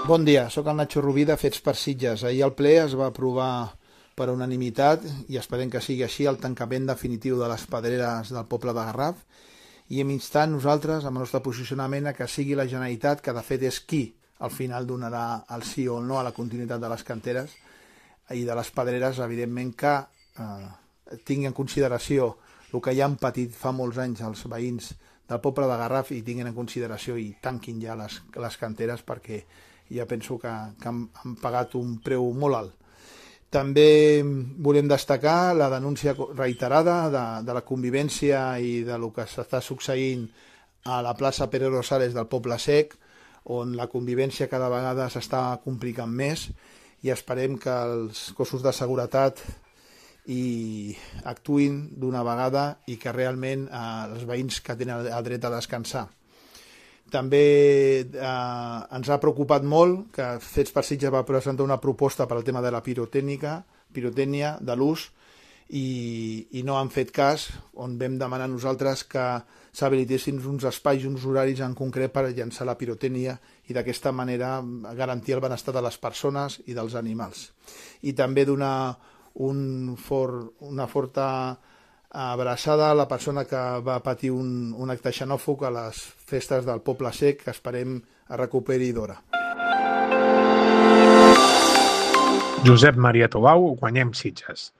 Bon dia, sóc el Nacho Rubí de Fets per Sitges. Ahir al ple es va aprovar per unanimitat, i esperem que sigui així, el tancament definitiu de les pedreres del poble de Garraf, i hem instat nosaltres, amb el nostre posicionament, a que sigui la Generalitat, que de fet és qui al final donarà el sí o el no a la continuïtat de les canteres i de les pedreres, evidentment que tingui en consideració el que ja han patit fa molts anys els veïns del poble de Garraf, i tinguin en consideració i tanquin ja les canteres, perquè ja penso que han pagat un preu molt alt. També volem destacar la denúncia reiterada de la convivència i de lo que s'està succeint a la plaça Pere Rosales del Poble Sec, on la convivència cada vegada s'està complicant més, i esperem que els cossos de seguretat actuïn d'una vegada i que realment els veïns que tenen el dret a descansar. També ens ha preocupat molt que Fets per Sitges va presentar una proposta per al tema de la pirotècnia de l'ús, i no han fet cas, on vam demanar nosaltres que s'habilitessin uns espais i uns horaris en concret per llançar la pirotècnia i d'aquesta manera garantir el benestar de les persones i dels animals. I també donar una forta abraçada a la persona que va patir un acte xenòfob a les festes del Poble Sec, que esperem es recuperi d'hora. Josep Maria Tobau, Guanyem Sitges.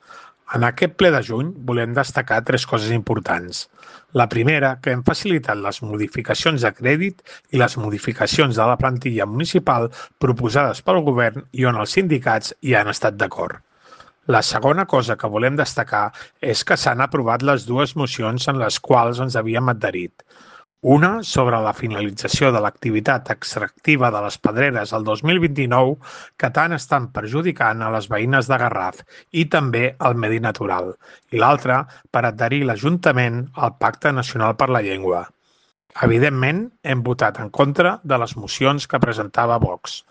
En aquest ple de juny volem destacar 3 coses importants. La primera, que hem facilitat les modificacions de crèdit i les modificacions de la plantilla municipal proposades pel govern i on els sindicats hi han estat d'acord. La segona cosa que volem destacar és que s'han aprovat les 2 mocions en les quals ens havíem adherit. Una sobre la finalització de l'activitat extractiva de les pedreres el 2029, que tant estan perjudicant a les veïnes de Garraf i també al medi natural, i l'altra per adherir l'Ajuntament al Pacte Nacional per la Llengua. Evidentment, hem votat en contra de les mocions que presentava Vox.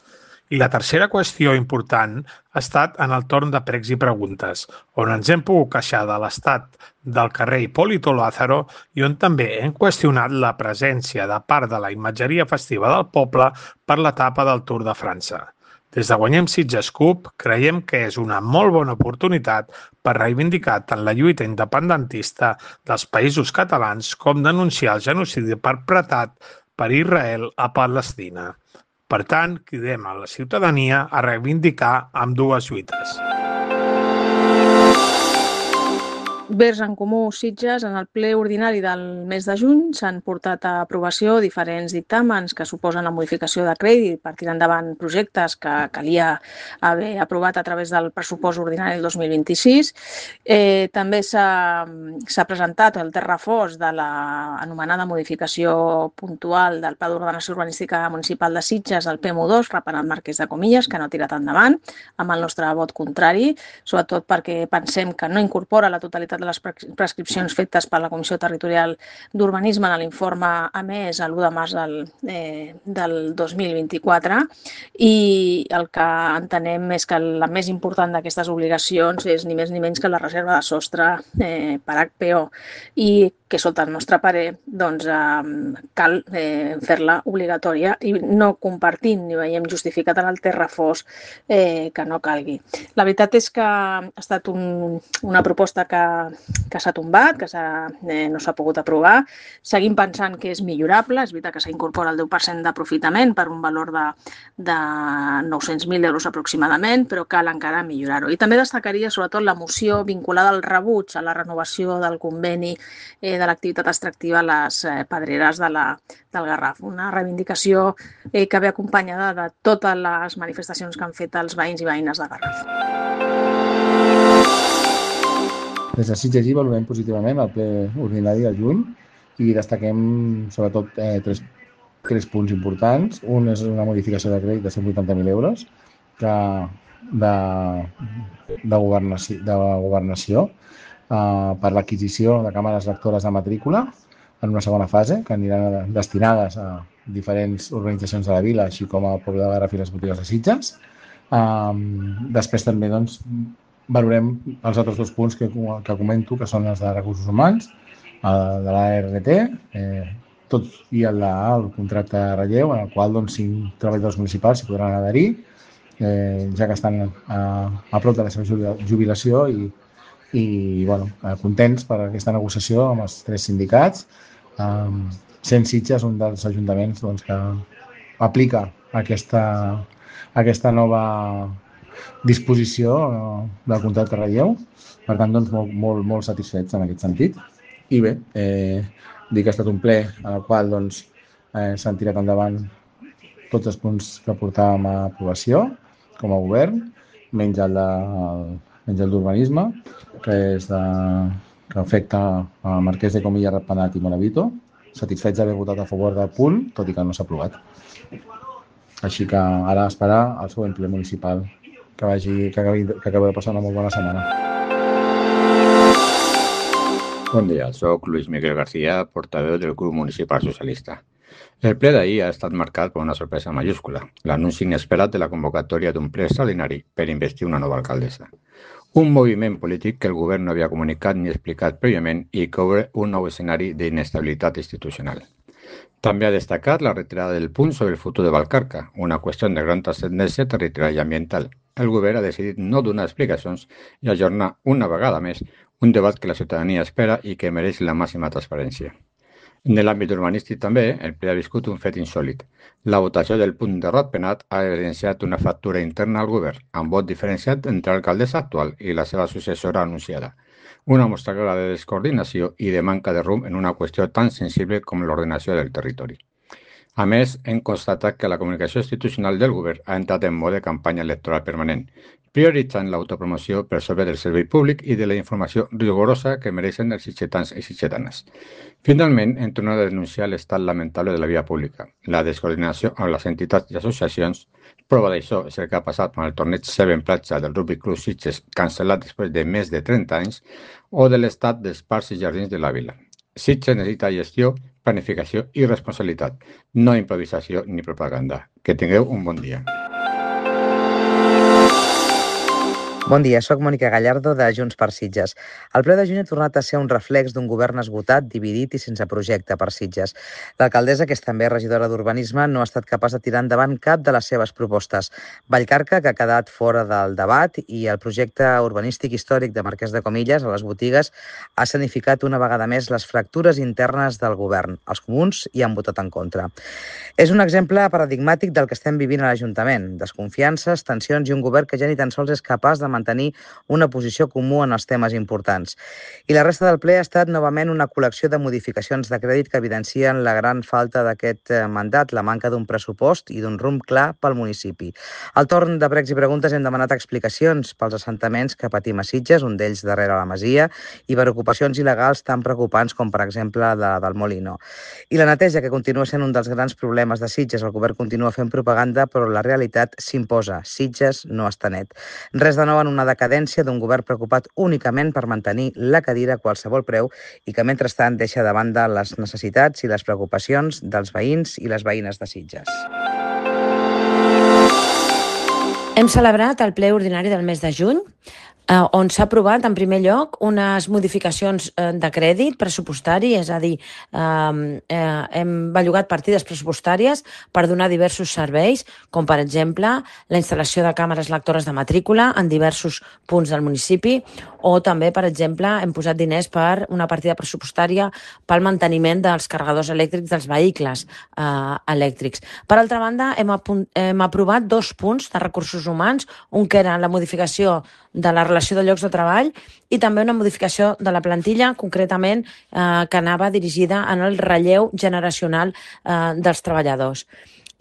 I la tercera qüestió important ha estat en el torn de pregs i preguntes, on ens hem pogut queixar de l'estat del carrer Hipólito Lázaro i on també hem qüestionat la presència de part de la imatgeria festiva del poble per l'etapa del Tour de França. Des de Guanyem Sitges CUP creiem que és una molt bona oportunitat per reivindicar tant la lluita independentista dels països catalans com denunciar el genocidi perpetrat per Israel a Palestina. Per tant, cridem a la ciutadania a reivindicar ambdues lluites. Verds en Comú Sitges, en el ple ordinari del mes de juny s'han portat a aprovació diferents dictàmens que suposen la modificació de crèdit per tirar endavant projectes que calia haver aprovat a través del pressupost ordinari del 2026. També s'ha presentat el terrafós de l'anomenada modificació puntual del Pla d'Ordenació Urbanística Municipal de Sitges, el PMU2, reparant Marquès de Comillas, que no ha tirat endavant, amb el nostre vot contrari, sobretot perquè pensem que no incorpora la totalitat de les prescripcions fetes per la Comissió Territorial d'Urbanisme en l'informe emès l'1 de març del 2024, i el que entenem és que la més important d'aquestes obligacions és ni més ni menys que la reserva de sostre per HPO, i que sota el nostre parer cal fer-la obligatòria, i no compartim ni veiem justificat en el terrafós que no calgui. La veritat és que ha estat una proposta que s'ha tombat, que no s'ha pogut aprovar. Seguim pensant que és millorable, és veritat que s'incorpora el 10% d'aprofitament per un valor de 900.000 euros aproximadament, però cal encara millorar-ho. I també destacaria sobretot la moció vinculada al rebuig a la renovació del conveni de l'activitat extractiva a les pedreres del Garraf. Una reivindicació que ve acompanyada de totes les manifestacions que han fet els veïns i veïnes de Garraf. Des de Sitges i valorem positivament el ple ordinari del juny i destaquem sobretot 3 punts importants. Un és una modificació de crèdit de 180.000 euros de governació per l'adquisició de càmeres lectores de matrícula en una segona fase, que aniran destinades a diferents organitzacions de la vila, així com al poble de Garraf i les botigues de Sitges. Després també valorem els altres 2 punts que comento, que són els de recursos humans, de l'ART, tot i el contracte de relleu, en el qual 5 treballadors municipals s'hi podran adherir, ja que estan a prop de la seva jubilació i contents per aquesta negociació amb els 3 sindicats, sent Sitges un dels ajuntaments que aplica aquesta nova disposició del contracte de relleu. Per tant, molt satisfets en aquest sentit. I bé, dir que ha estat un ple en el qual s'han tirat endavant tots els punts que portàvem a aprovació com a govern, menys el d'urbanisme, que afecta a Marquès de Comilla, Ratpenat i Moravito. Satisfets d'haver votat a favor del punt, tot i que no s'ha aprovat. Així que ara esperar el següent ple municipal, que acaba de passar una molt bona setmana. Bon dia, soc Luis Miguel García, portaveu del grup municipal socialista. El ple d'ahir ha estat marcat per una sorpresa mayúscula, l'anunci inesperat de la convocatòria d'un ple extraordinari per investir una nova alcaldessa. Un moviment polític que el govern no havia comunicat ni explicat prèviament i que obre un nou escenari d'inestabilitat institucional. També ha destacat la retirada del punt sobre el futur de Vallcarca, una qüestió de gran transcendència territorial i ambiental. El govern ha decidit no donar explicacions i ajornar una vegada més un debat que la ciutadania espera i que mereix la màxima transparència. En l'àmbit urbanístic també, el ple ha viscut un fet insòlit. La votació del punt de Ratpenat ha evidenciat una fractura interna al govern, amb vot diferenciat entre l'alcaldessa actual i la seva successora anunciada. Una mostra clara de descoordinació i de manca de rumb en una qüestió tan sensible com l'ordenació del territori. A més, hem constatat que la comunicació institucional del govern ha entrat en mode campanya electoral permanent, prioritzant l'autopromoció per sobre del servei públic i de la informació rigorosa que mereixen els sitgetans i sitgetanes. Finalment, hem tornat a denunciar l'estat lamentable de la via pública, la descoordinació amb les entitats i associacions. Prova d'això és el que ha passat amb el torneig 7 Platja del Rugby Club Sitges, cancel·lat després de més de 30 anys, o de l'estat dels parcs i jardins de la vila. Sitges necessita gestió, planificació i responsabilitat, no improvisació ni propaganda. Que tingueu un bon dia. Bon dia, soc Mònica Gallardo de Junts per Sitges. El ple de juny ha tornat a ser un reflex d'un govern esgotat, dividit i sense projecte per Sitges. L'alcaldessa, que és també regidora d'Urbanisme, no ha estat capaç de tirar endavant cap de les seves propostes. Vallcarca, que ha quedat fora del debat, i el projecte urbanístic històric de Marquès de Comillas, a les botigues, ha escenificat una vegada més les fractures internes del govern. Els comuns hi han votat en contra. És un exemple paradigmàtic del que estem vivint a l'Ajuntament. Desconfiances, tensions i un govern que ja ni tan sols és capaç de mantenir una posició comú en els temes importants. I la resta del ple ha estat novament una col·lecció de modificacions de crèdit que evidencien la gran falta d'aquest mandat, la manca d'un pressupost i d'un rumb clar pel municipi. Al torn de pregs i preguntes hem demanat explicacions pels assentaments que patim a Sitges, un d'ells darrere la Masia, i per ocupacions il·legals tan preocupants com, per exemple, la del Molino. I la neteja, que continua sent un dels grans problemes de Sitges. El govern continua fent propaganda, però la realitat s'imposa. Sitges no està net. Res de nou en una decadència d'un govern preocupat únicament per mantenir la cadira a qualsevol preu i que, mentrestant, deixa de banda les necessitats i les preocupacions dels veïns i les veïnes de Sitges. Hem celebrat el ple ordinari del mes de juny, on s'ha aprovat, en primer lloc, unes modificacions de crèdit pressupostari, és a dir, hem bellugat partides pressupostàries per donar diversos serveis, com per exemple la instal·lació de càmeres lectores de matrícula en diversos punts del municipi, o també, per exemple, hem posat diners per una partida pressupostària pel manteniment dels carregadors elèctrics dels vehicles elèctrics. Per altra banda, hem aprovat 2 punts de recursos humans, un que era la modificació de la relació de llocs de treball i també una modificació de la plantilla, concretament que anava dirigida en el relleu generacional dels treballadors.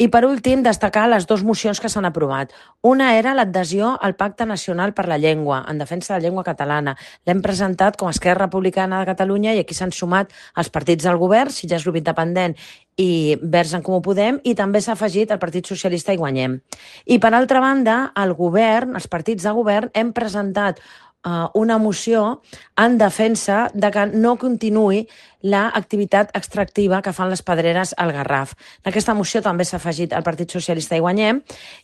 I per últim, destacar les 2 mocions que s'han aprovat. Una era l'adhesió al Pacte Nacional per la Llengua, en defensa de la llengua catalana. L'hem presentat com a Esquerra Republicana de Catalunya i aquí s'han sumat els partits del govern, Sitges Grup Independent i Verds en Comú Podem, i també s'ha afegit el Partit Socialista i Guanyem. I per altra banda, el govern, els partits de govern, hem presentat una moció en defensa de que no continuï l'activitat extractiva que fan les pedreres al Garraf. En aquesta moció també s'ha afegit el Partit Socialista i Guanyem,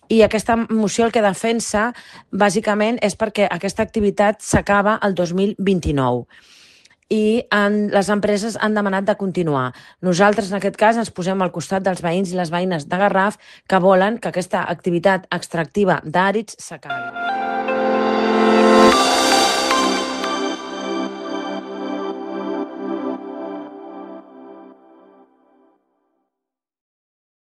i aquesta moció el que defensa bàsicament és perquè aquesta activitat s'acaba el 2029. i les empreses han demanat de continuar. Nosaltres, en aquest cas, ens posem al costat dels veïns i les veïnes de Garraf que volen que aquesta activitat extractiva d'àrids s'acabi.